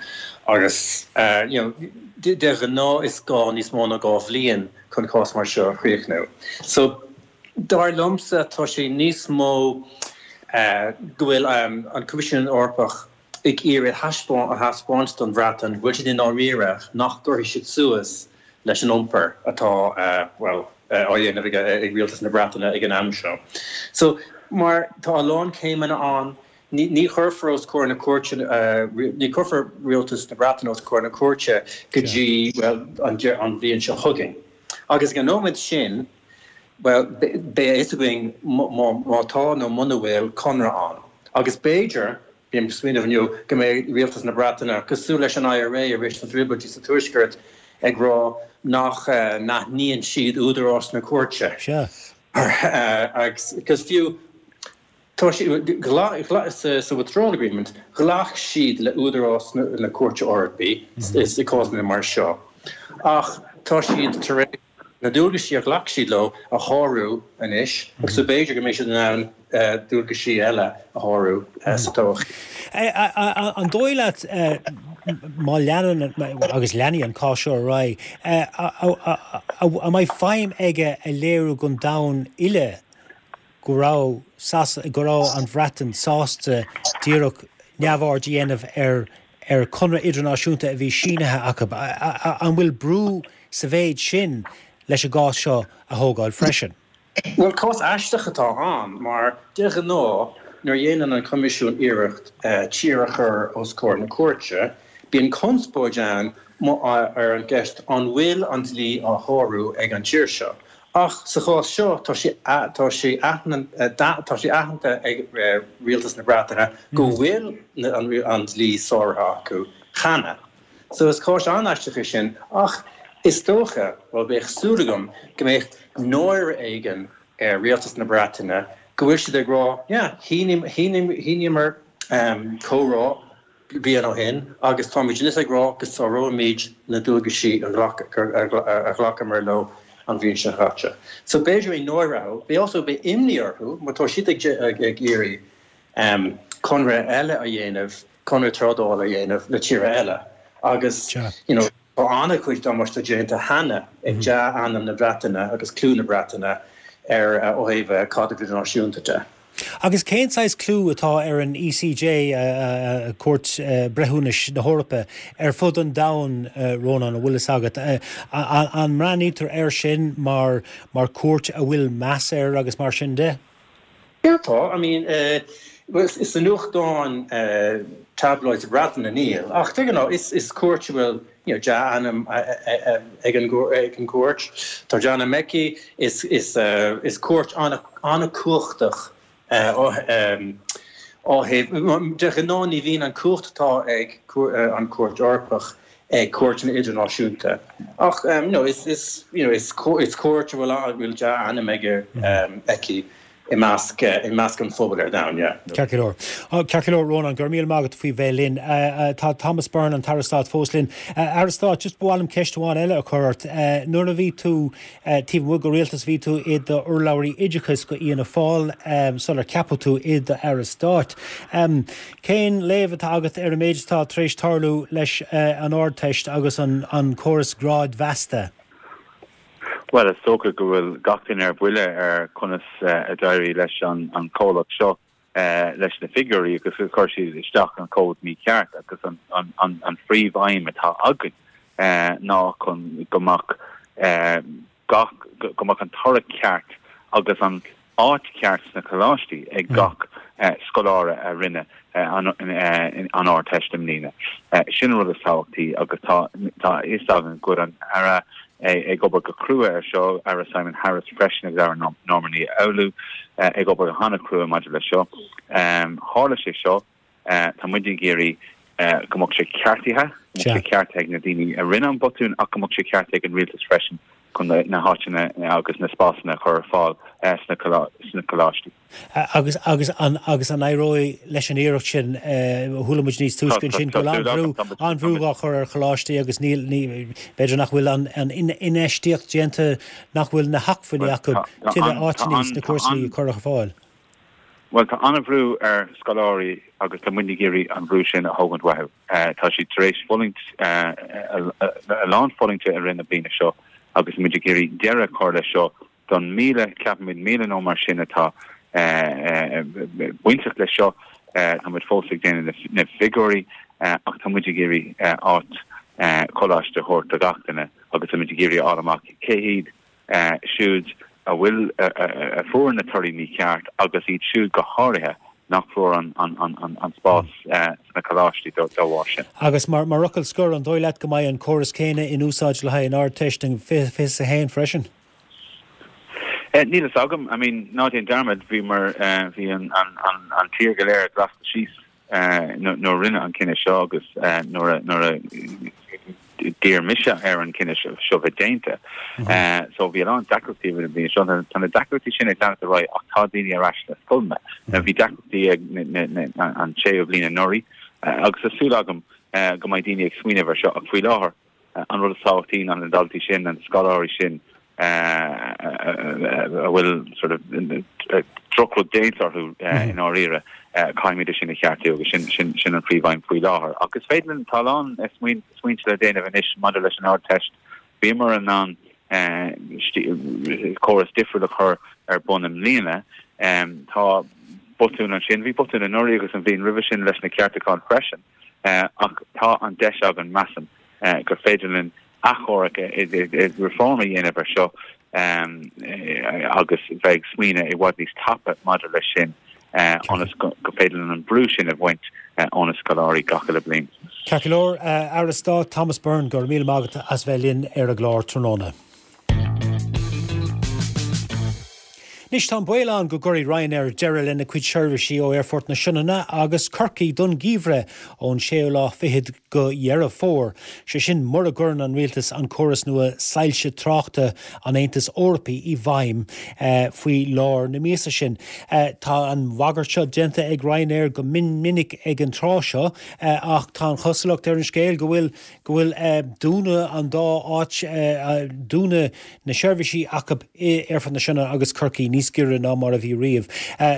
agus uh, you know, de, de ghnáth is gá níos mó ná dhá bhliain chun cás mar seo a chríochnú. So dar liomsa tá sé níos mó uh, go bhfuil um, an Coimisiún Eorpach ag iarraidh a thaispeáint don Bhreatain bhfuil siad i ndáiríre nach gcuirfidh siad suas leis an iompar atá uh, well á dhéanamh ag rialtas na Breataine ag an am seo. So mar tá a lán céimeanna ann ní ní chuirfear os comhair na cúirte uh, ní chuirfear rialtas na Breataine os comhair na cúirte go dtí well an an bhliain seo chugainn. Agus an nóiméad sin well beidh a fhios againn má tá nó muna bhfuil conradh ann. Agus b'fhéidir bím ag smaoineamh inniu go mbeidh rialtas na Breataine cosúil leis an IRA i rith na dtrioblóidí sa Tuaisceart ag rá nach uh, n-aithníonn siad údarás na cúirte. Agus fiú tá sa withdrawal agreement ghlac siad le údarás na, na Cúirte Eorpaí mm -hmm. is i gcásanna mar seo. Ach tá siad tar éis na dualgaisí a ghlac siad leo a shárú anois, agus so b'fhéidir go mbeidh siad in ann uh, dualgaisí eile a shárú uh, sa todhchaí. An dóigh leat má leanann agus leanfaidh an cás seo ar aghaidh, an mbeidh feidhm aige a léiriú don domhan uile go raibh go raibh an Bhreatain sásta díreach neamhaird a dhéanamh ar ar conradh idirnáisiúnta a bhí sínithe acu. An bhfuil brú sa mhéid sin leis an gcás seo a thógáil freisin. Well cás aisteach atá ann mar de ghnáth nuair a dhéanann an Coimisiún iarracht uh, tír a chur os comhair na cúirte, bíonn conspóid ann ar an gceist an bhfuil an dlí á shárú ag an tír seo. Ach sa chás seo tá sé tá sé tá sé aitheanta ag rialtas na Breataine go mm. bhfuil an, an dlí sáraithe acu cheana. So is cás an-aisteach é sin ach is dócha well bheadh súil agam go mbeidh náire éigin ar rialtas na Breataine go bhfuil siad ag rá yeah, shíníomar um, comhrá bliain ó shin agus táimid anois ag rá go sáróimid na dualgaisí a ghlacamar leo an bhliain seo caite. So b'fhéidir é náire, bhí also beidh imní orthu má tá siad ag ag iarraidh um, conradh eile a dhéanamh conradh trádála a dhéanamh le tír eile. Agus you know, tá an-chuid damáiste déanta cheana ag mhm. dea-ainm na Breataine agus clú na Breataine ar uh, ó thaobh caidreamh idirnáisiúnta de. Agus cén saghas clú atá ar an ECJ uh, uh, Cúirt uh, Breithiúnais na hEorpa ar fud an domhain Rónán an bhfuil fhios agat an mbreathnaítear air sin mar mar cúirt a bhfuil meas air agus mar sin de? Yeah, tá I mean uh, well, is an nuachtáin uh, tabloids Breataine níl ach you know, is is cúirt bhfuil you know, dea-ainm ag an ag an gcúirt Tá dea-ainm aici is is uh, is cúirt an-chumhachtach um, ó de ghnáth ní bhíonn an chumhacht atá ag an Chúirt Eorpach ag cúirteanna idirnáisiúnta. Ach um, no, is is you know, is is cúirt bhfuil bhfuil dea-ainm aige um, aici i measc i measc an phobail ar domhan, yeah. Ceart go leor. Ceart go leor, Rónán, go raibh míle maith agat faoi bheith linn. Tá Thomas Byrne, an tAire Stáit, fós linn. Aire Stáit, just ba mhaith liom ceist amháin eile a chur ort. Nuair a bhí tú taobh amuigh de rialtas, bhí tú i d'urlabhraí oideachais do Fhianna Fáil sular ceapadh tú i d'Aire Stáit. Cén léamh atá agat ar an méid atá tar éis tarlú leis an Ardteist agus an córas grádmheasta? Bhuel, is dócha go bhfuil gach duine ar buile ar conas a d'éirigh leis an an comhlacht seo leis na figiúirí agus gur chuir siad isteach an cód mícheart agus an an an an phríomhaidhm atá againn ná chun go mbeadh gach go mbeadh an toradh ceart agus an áit cheart sna coláistí ag gach scoláire a rinne an Ardteist i mbliana. Sin an rud is tábhachtaí agus tá tá a fhios againn go bhfuil an Aire ag obair go crua ar seo, Aire Simon Harris freisin agus Aire Norma Ní Fhoghlú ag obair go han-chrua maidir leis seo. Tharla sé seo, tá muid ag iarraidh go mbeadh sé ceartaithe, go mbeadh sé ceartaithe ag na daoine a rinne an botún ach go mbeadh sé ceartaithe ag an rialtas freisin chun na háiteanna agus na spásanna a chur ar fáil sna coláistí. Agus agus an agus an éireoidh leis an iarracht sin chuala muid níos túisce ansin go bhfuil an-bhrú an-bhrú á chur ar choláistí agus níl ní b'fhéidir nach bhfuil an an infheistíocht déanta nach bhfuil na hacmhainní acu tuilleadh áiteanna sna cúrsaí a chur ar fáil. Bhuel, tá an-bhrú ar scoláirí agus tá muid ag iarraidh an brú sin a thógaint uathu. Tá siad tar éis fulaingt a lán fulaingte i rith na bliana seo agus muid ag iarraidh deireadh a chur leis seo don míle, ceapaimid míle nó mar sin atá bainteach leis seo. Tá muid fós ag déanamh na figiúirí ach tá muid ag iarraidh áit coláiste a thabhairt do gach duine agus tá muid ag iarraidh a fháil amach cé hiad siúd a bhfuil a fuair na torthaí mícheart agus iad siúd go háirithe nach bhfuair an an an an spás sna coláistí dá bharr sin. Agus mar mar fhocal scoir, an dóigh leat go mbeidh an córas céanna in úsáid le haghaidh an Ardteist in fiche fiche a haon freisin? Níl fhios agam, I mean, ná déan dearmad, bhí mar bhí an an an an tír go léir glasta síos nuair a rinneadh an cinneadh seo agus nuair a nuair a d'iarr mise ar an cinneadh seo bheith déanta. So bhí a lán deacrachtaí roimh an bhliain seo. Tá na deacrachtaí sin ag leanacht ar aghaidh ach tá daoine ar ais sna scoileanna. Bhí deacrachtaí ag an séú bliain anuraidh agus tá súil agam go mbeidh daoine ag smaoineamh ar seo ach faoi láthair an rud is tábhachtaí ná na daltaí sin, na scoláirí sin a bhfuil sort of drochrud déanta orthu i ndáiríre, caithfimid é sin a cheartú agus sin sin sin an phríomhaidhm faoi láthair. Ach is féidir linn, tá a lán smaointe le déanamh anois maidir leis an Ardteist. Bhíomar in ann córas difriúil a chur ar bun i mbliana. Tá botún ansin, bhí botún anuraidh agus an bhliain roimhe sin leis na ceartúcháin freisin, ach tá an deis againn, measaim, gur féidir linn achomharc, reform a dhéanamh ar seo agus bheith ag smaoineamh i bhfad níos tapa maidir leis sin ionas go féidir linn an brú sin a bhaint ó na scoláirí gach uile bliain. Ceart go leor, Aire Stáit Thomas Byrne, go raibh míle maith agat as bheith linn ar an gclár tráthnóna. Anois tá an baol ann go gcuirfidh Ryanair deireadh lena cuid seirbhísí ó Aerfort na Sionainne agus Corcaigh don gheimhreadh ón séú lá fichead go Dheireadh Fómhair, sé sin mura gcuireann an rialtas an córas nua soilse tráchta an Aontais Eorpaigh i bhfeidhm faoi lár na míosa sin. Tá an bhagairt seo déanta ag Ryanair go mion minic ag an tráth seo ach tá an chosúlacht ar an scéal go bhfuil go bhfuil dúnadh an dá áit, dúnadh na seirbhísí acu i Aerfort na Sionainne agus Corcaigh níos giorra ná mar a bhí riamh.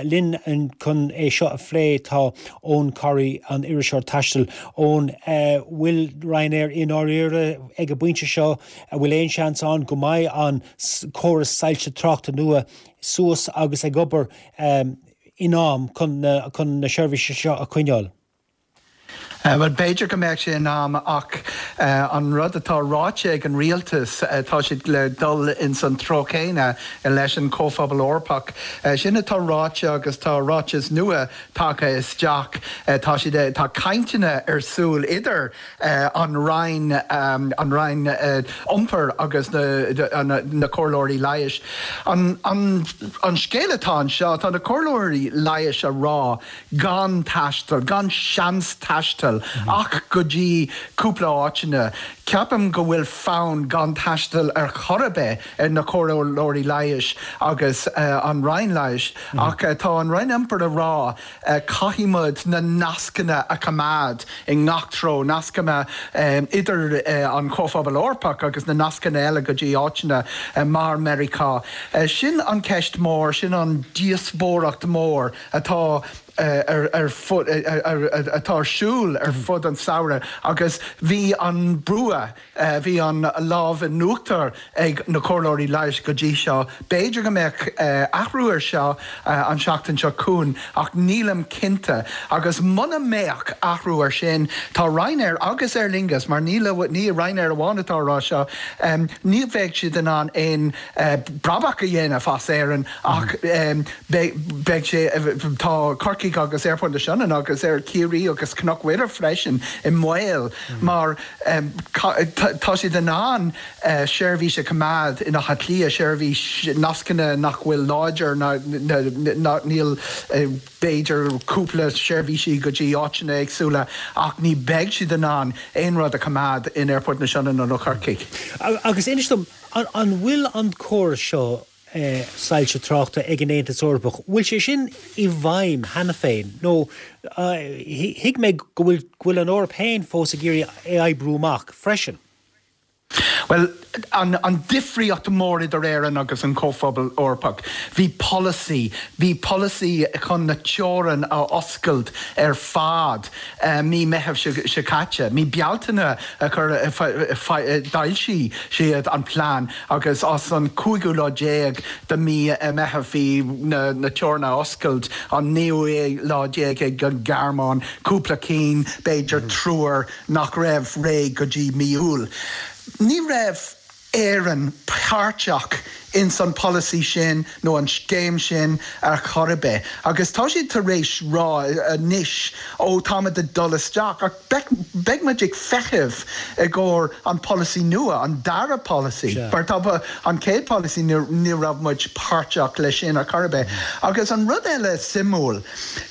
Linn chun é seo a phlé tá Eoin Corry, an iriseoir taistil. Eoin, bhfuil Ryanair i ndáiríre ag an bpointe seo? An bhfuil aon seans ann go mbeidh an córas soilse tráchta nua suas agus ag obair in am chun na seirbhísí seo a choinneáil? Bhuel, b'fhéidir go mbeadh sé in am ach an rud atá ráite ag an rialtas, tá siad le dul ins an treo céanna leis an Chomhphobal Eorpach. Sin atá ráite agus tá ráiteas nua tagtha isteach. Tá siad, tá cainteanna ar súil idir an Roinn, an Roinn Iompair agus na comhairleoirí leighis. An scéal atá anseo, tá na comhairleoirí leighis a rá gan taisteal, gan seans taistil taisteal ach go dtí cúpla áiteanna. Ceapaim go bhfuil fonn gan taisteal ar chor ar bith ar na comhairleoirí leighis agus an Roinn Leighis ach tá an Roinn Iompair a rá caithfidh muid na nascanna a choimeád i ngach treo, nascanna idir an Comhphobal Eorpach agus na nascanna eile go dtí áiteanna mar Meiriceá. Sin an ceist mór, sin an díospóireacht mór atá ar ar fud atá ar siúl ar fud an samhradh agus bhí an bua bhí an lámh in uachtar ag na comhairleoirí leighis go dtí seo. B'fhéidir go mbeadh athrú ar seo an seachtain seo chugainn ach nílim cinnte agus muna mbeadh athrú ar sin tá Ryanair agus Aer Lingus mar ní ní Ryanair amháin atá rá seo ní bheidh siad in ann aon brabach a dhéanamh as Éirinn ach beidh sé tá Corcaigh agus Aerfort na Sionainne agus Aer Ciarraí agus Cnoc Mhuire freisin i mbaol mar tá siad in ann seirbhís a choimeád in Áth Cliath seirbhís nascanna nach bhfuil láidir níl b'fhéidir cúpla seirbhísí go dtí áiteanna éagsúla ach ní bheidh siad in ann aon rud a choimeád in Aerfort na Sionainne nó Corcaigh. Agus inis dom an bhfuil an córas seo soilse tráchta ag an Aontas Eorpach, bhfuil sé sin i bhfeidhm cheana féin nó thuig mé go bhfuil go bhfuil an Eoraip féin fós ag iarraidh é oibriú amach freisin. Well, an, an difríocht mór idir Éirinn agus an Comhphobal Eorpach. Bhí polasaí, bhí polasaí chun na teorann a oscailt ar fad uh, mí Meitheamh seo caite. Mí Bealtaine a chur d'fhoilsigh siad an plean agus as an cúigiú lá déag de mí Meitheamh bhí na, na teorann a oscailt an naoú lá déag ag an Ghearmáin, cúpla cinn b'fhéidir mm. triúr nach raibh réidh go dtí mí Iúil. Ní raibh Éirinn páirteach in san policy sin nó an scéim sin ar chor ar bith. Agus tá siad tar éis rá anois ó táimid ag dul isteach ach beidh muid ag feitheamh i gcomhair an policy nua an dara policy. Mar tá an chéad policy ní raibh muid páirteach leis sin ar chor ar bith. Agus an rud eile suimiúil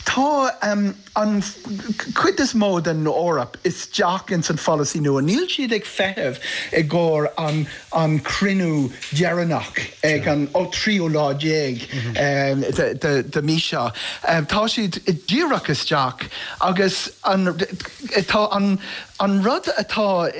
tá um, an chuid is mó den Eoraip isteach in san policy nua. Níl siad ag feitheamh i gcomhair an, an cruinniú deireanach ag an ó tríú lá déag de mí seo. Tá siad díreach isteach agus an, tá an, an rud atá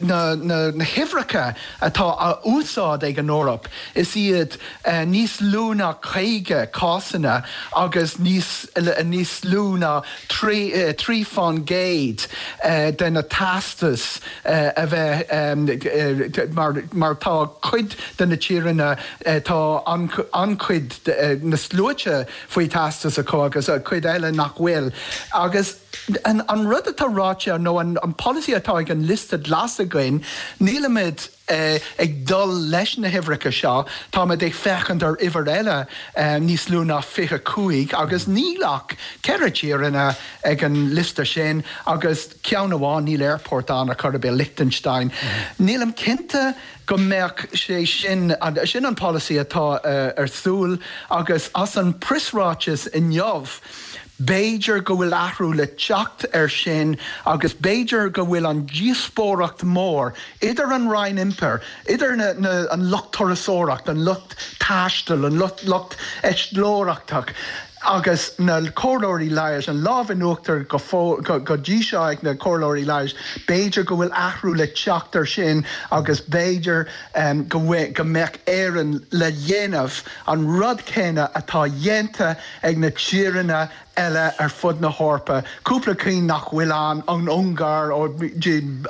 na, na, na huimhreacha atá á úsáid ag an Eoraip is iad uh, níos lú ná caoga cásanna agus níos níos lú ná trí, uh, trí faoin gcéad uh, de na teastais uh, a bheith um, uh, mar, mar tá cuid de na tíortha uh, tá an, an-chuid uh, na sluaite faoi teastas acu agus a cuid eile nach bhfuil. agus an, an rud atá ráite nó an, an policy atá ag an liosta glas againn, nílimid uh, ag dul leis na huimhreacha seo, Táimid ag féachaint ar uimhir eile uh, níos lú ná fiche cúig agus níl ach ceithre tíortha ag an liosta sin agus ceann amháin níl airport ann a chor ar bith Liechtenstein. Mm -hmm. Nílim cinnte go mbeadh sé sin sin an policy atá uh, ar siúl agus as an preasráiteas inniu. B'fhéidir go bhfuil athrú le teacht ar sin agus b'fhéidir go bhfuil an díospóireacht mór idir an Roinn Iompair, idir na, na, an lucht turasóireacht, an lucht taistil, an lucht, lucht eitleoireachtach. agus na comhairleoirí leighis an lámh in uachtar go, go, go dtí seo ag na comhairleoirí leighis, b'fhéidir go bhfuil athrú le teacht ar sin agus b'fhéidir um, go, go mbeadh Éirinn le dhéanamh an rud céanna atá déanta ag na tíortha eile ar fud na hEorpa. Cúpla cinn nach bhfuil an an Ungáir ó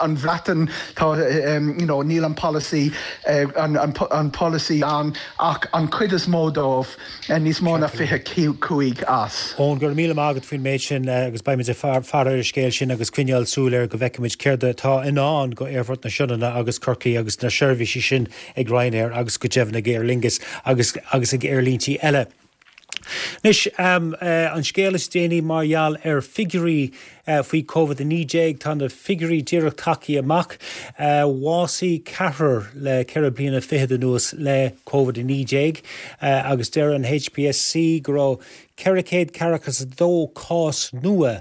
an Bhreatain tá um, you know, níl an policy uh, an, an, an policy an ach an chuid is mó dóibh uh, níos mó ná fiche cúig as. Ón gur míle agad faoin méid sin agus beimid ag faire ar an scéal sin agus coinneáil súil air go bhfeicfimid céard atá i ndán go Aerfort na Sionainne agus Corcaigh agus na seirbhísí sin ag Ryanair agus go deimhin ag Aer Lingus agus agus ag aerlíntí eile. Anois um, uh, an scéal is déanaí mar gheall ar figiúirí uh, faoi COVID a naoi déag tá na figiúirí díreach tagtha amach uh, bhásaigh ceathrar le ceithre bliana fichead anuas le COVID a naoi déag uh, agus deir an HPSC go raibh ceithre chéad ceathracha is a dó cás nua.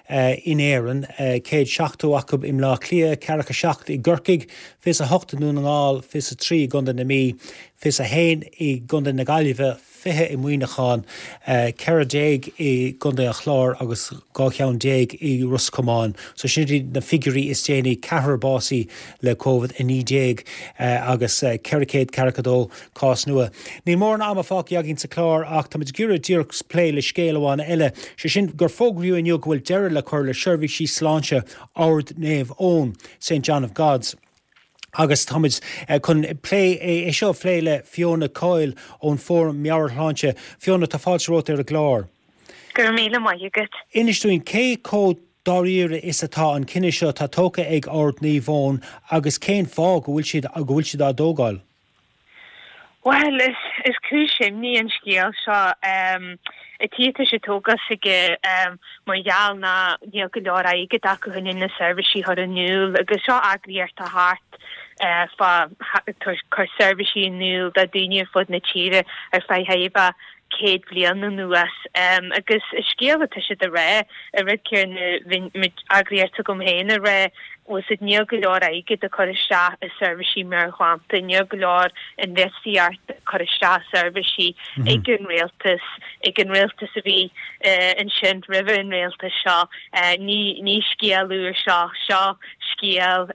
in Éirinn, céad seachtó acu i mBleá Cliath, ceathracha seacht i gCorcaigh, fiche a hocht i nDún na nGall, fiche a trí i gContae na Mí, fiche a haon i gContae na Gaillimhe, fiche i Muineachán, ceithre déag i gContae an Chláir agus dhá cheann déag i Ros Comáin. So sin iad na figiúirí is déanaí, ceathrar básaithe le Covid a naoi déag agus ceithre chéad ceathracha dó cás nua. Níl mórán ama fágtha againn sa chlár ach táimid ag iarraidh díreach plé le scéal amháin eile, sé sin gur fógraíodh inniu go bhfuil deireadh le cur le seirbhísí sláinte Ord Naomh Eoin, Saint John of God's. Agus táimid chun plé é seo a phlé le Fiona Coyle ón Fóram Meabhairshláinte. Fiona, tá fáilte romhat ar an gclár. Go raibh míle maith agat. Inis dúinn cé chomh dáiríre is atá an cinneadh seo atá tógtha ag Ord Naomh Eoin agus cén fáth go bhfuil siad go bhfuil siad á dtógáil? Bhuel, is is cúis imní an scéal seo. An tuige atá sé tógtha s'aige mar gheall ná níl go leor airgead acu chun na seirbhísí a chur in iúl agus seo eagraíocht atá thart fá cur seirbhísí in iúl do daoine ar fud na tíre ar feadh thairbhe céad bliain anuas. Agus an scéal atá siad a rá, an rud céanna bhí eagraíocht agam féin a rá, bhfuil siad níl go leor airgead a cur isteach i seirbhísí meabhairshláinte, níl go leor infheistíocht a cur isteach i seirbhísí ag an rialtas, ag an rialtas a bhí ansin roimhe an rialtas seo. Ní ní scéal úr seo, seo scéal,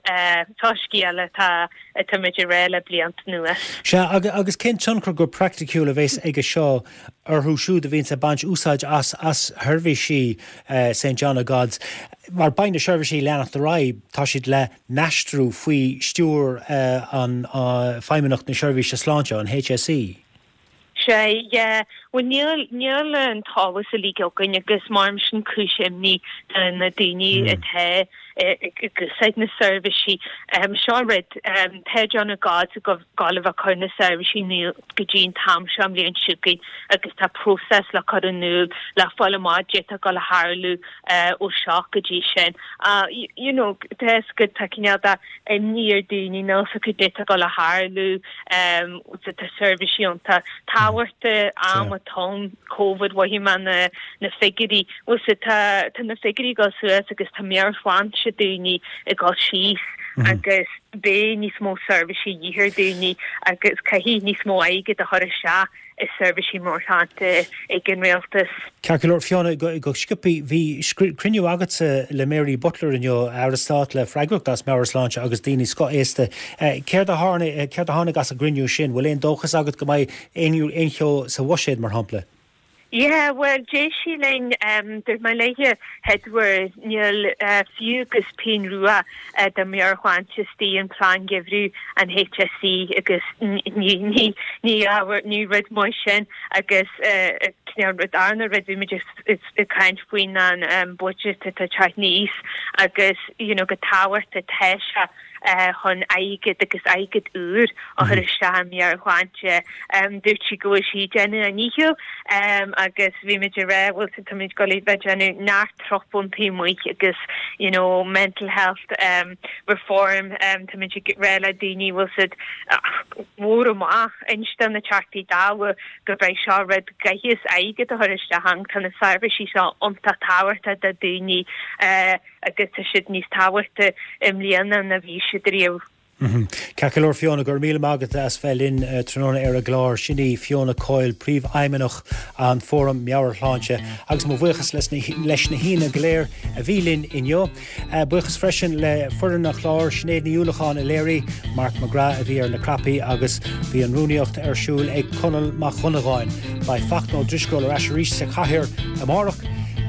seo scéal atá atáimid a rá le blianta anuas. Sea, agus cén tionchar go praiticiúil a bheas aige seo orthu siúd a bhíonns ag baint úsáid as as sheirbhísí Saint John of God's? Mar beidh na seirbhísí ag leanacht ar aghaidh, tá siad le n-aistriú faoi stiúir an Feidhmeannacht na Seirbhíse Sláinte, an HSE. Sea, yeah. Bhuel, níl, níl an t-eolas uilig againn agus mar sin cúis imní do na daoine atá ag úsáid na seirbhísí. Seo rud, tá John of God's ag gabháil a bheith ag cur na seirbhísí in iúl go dtí an t-am seo an bhliain seo chugainn agus tá próiseas le cur in iúl le fáil amach caidé atá ag gabháil a tharlú ó seo go dtí sin. You know, tá fhios agat, tá cineál de imní ar daoine níl fhios acu caidé atá ag gabháil a tharlú, tá seirbhísí iontach tábhachtach am atá ann, Covid, mhothaigh mé na na figiúirí, bhfuil fhios agat, tá tá na figiúirí ag dul suas agus tá meabhairshláinte daoine ag dul síos agus beidh níos mó seirbhísí de dhíth ar daoine agus caithfidh níos mó airgid a chur isteach i seirbhísí meabhairshláinte ag an rialtas. Ceart go leor, Fiona, go sciobtha, bhí cruinniú agatsa le Mary Butler inniu, Aire Stáit le freagracht as meabhairshláinte agus daoine scothaosta. Céard a céard a tháinig as an gcruinniú sin? Bhfuil aon dóchas agat go mbeidh aon cheo sa bhuiséad, mar shampla? Yeah, bhuel, d'éist sí linn, dúirt mé léithe, Edward, níl fiú agus pingin rua do meabhairshláinte istigh in plean geimhridh an HSE agus ní ní ní ábhar ní rud maith sin agus cineál rud darna rud bhí muid ag caint faoin an budget atá ag teacht aníos agus you know go tábhachtach atá sé chun airgead agus airgead úr a chur isteach i meabhairshláinte. Dúirt sí go bhfuil sí ag déanamh a ndícheall agus bhí muid ag rá bhfuil táimid ag dul a bheith ag déanamh neart trup taobh amuigh agus you know mental health reform táimid ag rá le daoine bhfuil siad mhór amach inste na Teachtaí Dála go beidh seo rud gcaithfidh airgead a chur isteach ann tá na seirbhísí seo iontach tábhachtach do daoine agus tá siad níos tábhachtaí i mbliana ná bhí siad riamh. Ceart go leor Fiona, go raibh míle maith agat as bheith linn tráthnóna ar an gclár. Sin í Fiona Coyle, Príomhfheidhmeannach an Fóram Meabhairshláinte agus mo bhuíochas leis na haíonna go léir a bhí linn inniu. Buíochas freisin le foireann an chláir, Sinéad Ní Uallacháin a léirigh, Mark McGrath a bhí ar na cnaipí agus bhí an rúnaíocht ar siúl ag Conall Mac Dhonnagáin. Beidh Fachtna Ó Drisceoil ar ais arís sa chathaoir amárach.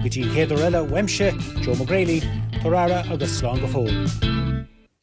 Go dtí an chéad uair eile, uaimse, Joe McGrady, Tabhair aire agus slán go fóill.